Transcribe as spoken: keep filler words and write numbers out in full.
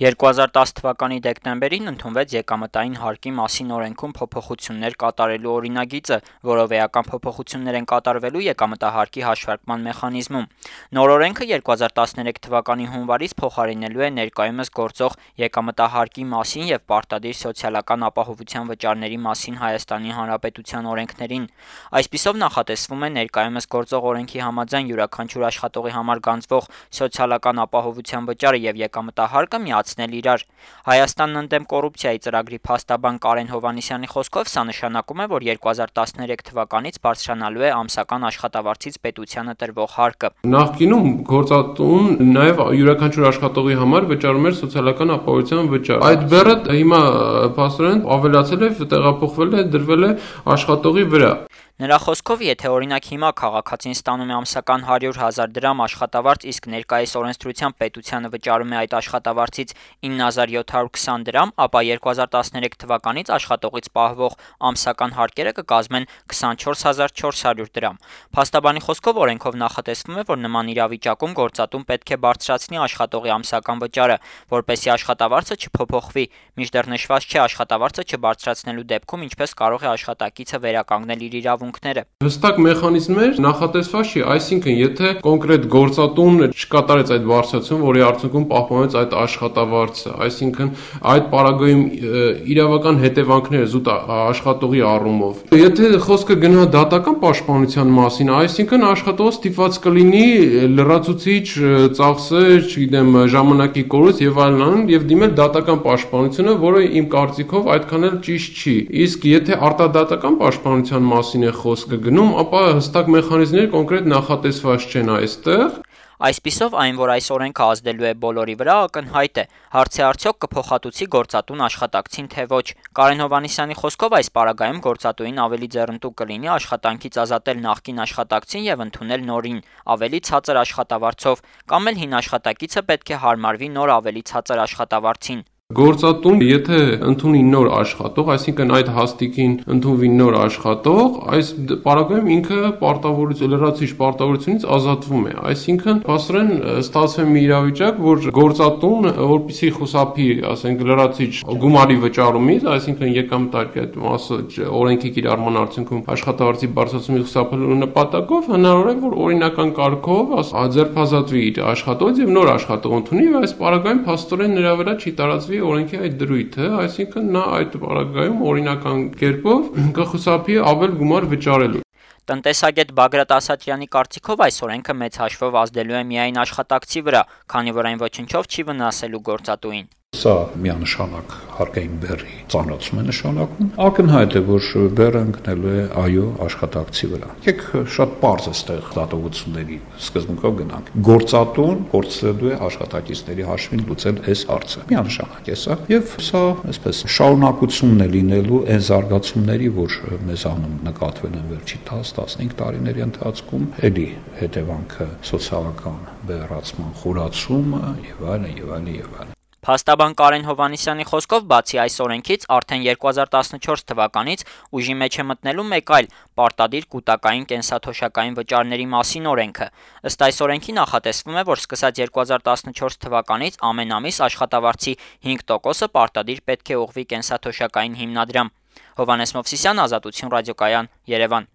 երկու հազար տաս թվականի դեկտեմբերին ընդունվեց եկամտային հարկի մասին օրենքում փոփոխություններ կատարելու օրինագիծը, որով էական փոփոխություններ են կատարվելու եկամտահարկի հաշվարկման մեխանիզմում։ Նոր օրենքը երկու հազար տասներեք թվականի հունվարից փոխարինելու է ներկայումս գործող եկամտահարկի մասին և պարտադիր սոցիալական ապահովության վճարների մասին Հայաստանի Հանրապետության օրենքներին։ Այսպիսով նախատեսվում է ներկայումս գործող օրենքի համաձայն յուրաքանչյուր աշխատողի համար գանձվող սոցիալական ապահովության վճարը և եկամտահարկը միացնել իրար։ Հայաստանն ընդդեմ կոռուպցիայի ծրագրի փաստաբան Կարեն Հովհաննիսյանի խոսքով սա նշանակում է, որ երկու հազար տասներեք թվականից բարձրանալու է ամսական աշխատավարձից պետությանը տրվող հարկը։ Նախկինում գործատուն նաև յուրաքանչյուր աշխատողի համար վճարում էր սոցիալական ապահովության վճար։ Այդ բեռը հիմա փաստորեն ավելացել է, տեղափոխվել է, դրվել է աշխատողի վրա։ Նրա խոսքով, եթե օրինակ հիմա քաղաքացին ստանում է ամսական հարյուր հազար դրամ աշխատավարձ, իսկ ներկայիս օրենսդրությամբ պետությանը վճարում է այդ աշխատավարձից ինը հազար յոթ հարյուր քսան դրամ, ապա երկու հազար տասներեք թվականից աշխատողից պահվող ամսական հարկերը կկազմեն քսանչորս հազար չորս հարյուր դրամ։ Փաստաբանի խոսքով օրենքով նախատեսվում է, որ նման իրավիճակում գործատուն պետք է բարձրացնի աշխատողի ամսական վճարը, որպեսզի աշխատավարձը չփոփոխվի, մինչդեռ նշված չէ աշխատավարձը չբարձրացնելու դեպքում ինչպես կարող է աշխատակիցը վերականգնել իր իրավունքները։ Հստակ մեխանիզմներ նախատեսված չի, այսինքն եթե կոնկրետ գործատուն չկատարեց այդ բարձրացումը, որի արդյունքում պահպանվեց այդ աշխատավարձը, այսինքն այդ պարագայում իրավական հետևանքները զուտ աշխատողի առումով։ Եթե խոսքը գնա դատական պաշտպանության մասին, այսինքն աշխատողը ստիպված կլինի լրացուցիչ ծախսեր, չգիտեմ, ժամանակի կորուստ եւ այլն եւ դիմել դատական պաշտպանությունը, որը իմ կարծիքով այդքան էլ ճիշտ չի։ Իսկ եթե արտադատական պաշտպանության մասին է խոսքը գնում, ապա հստակ մեխանիզմներ կոնկրետ նախատեսված չեն այստեղ։ Այսպիսով, այն, որ այս օրենքը ազդելու է բոլորի վրա, ակնհայտ է։ Հարց է արդյոք կփոխհատուցի գործատուն աշխատակցին, թե ոչ։ Կարեն Հովհաննիսյանի խոսքով այս պարագայում գործատուին ավելի ձեռնտու կլինի աշխատանքից ազատել նախկին աշխատակցին եւ ընդունել նորին, ավելի ցածր աշխատավարձով, կամ էլ հին աշխատակիցը պետք է հարմարվի նոր ավելի ցածր աշխատավարձին։ Գործատուն, եթե ընդունի նոր աշխատող, այսինքն այդ հաստիքին ընդունվի նոր աշխատող, այս պարագայում ինքը պարտավորություն, լրացուցիչ պարտավորությունից ազատվում է։ Այսինքն, փաստորեն ստացվում է մի իրավիճակ, որ գործատուն, որպեսզի խուսափի, ասենք, լրացուցիչ գումարի վճարումից, այսինքն եկամտարկի այդ մասը օրենքի կիրառման արդյունքում աշխատավարձի բարձրացումից խուսափելու նպատակով հնարավոր է, որ օրինական կարգով ձերբազատվի իր աշխատողից եւ նոր աշխատող ընդունի, եւ այս պարագայում փաստորեն նրա վրա չի տարածվի օրենքի այդ դրույթը, այսինքն նա այդ պարագայում օրինական կերպով կխուսափի ավել գումար վճարելու։ Տնտեսագետ Բագրատ Ասատրյանի կարծիքով այս օրենքը մեծ հաշվով ազդելու է միայն աշխատակցի վրա, քանի որ այն ոչնչով չի վնասելու գործատուին։ Սա միանշանակ հարկային բեռի ծանրացում է նշանակում։ Ակնհայտ է, որ բեռը ընկնելու է այո աշխատակցի վրա։ Եկեք շատ պարզ է ստեղ դատողությունների սկզբունքով գնանք։ Գործատուն փորձելու է աշխատակիցների հաշվին լուծել այս հարցը։ Միանշանակ է սա, եւ սա այսպես շարունակությունն է լինելու այն զարգացումների, որ մեզանում նկատվել են վերջի տաս տասնհինգ տարիների ընթացքում, էլի հետևանքը սոցիալական բեռացման խորացումը եւ այլն եւ այլն եւ այլն։ Փաստաբան Կարեն Հովհաննիսյանի խոսքով, բացի այս օրենքից, արդեն երկու հազար տասնչորս թվականից ուժի մեջ է մտնելու մեկ այլ պարտադիր կուտակային կենսաթոշակային վճարների մասին օրենքը։ Ըստ այս օրենքի նախատեսվում է, որ սկսած երկու հազար տասնչորս թվականից ամեն ամիս աշխատավարձի հինգ տոկոսը պարտադիր պետք է ուղղվի կենսաթոշակային հիմնադրամ։ Հովհաննես Մովսիսյան, Ազատություն ռադիոկայան, Երևան։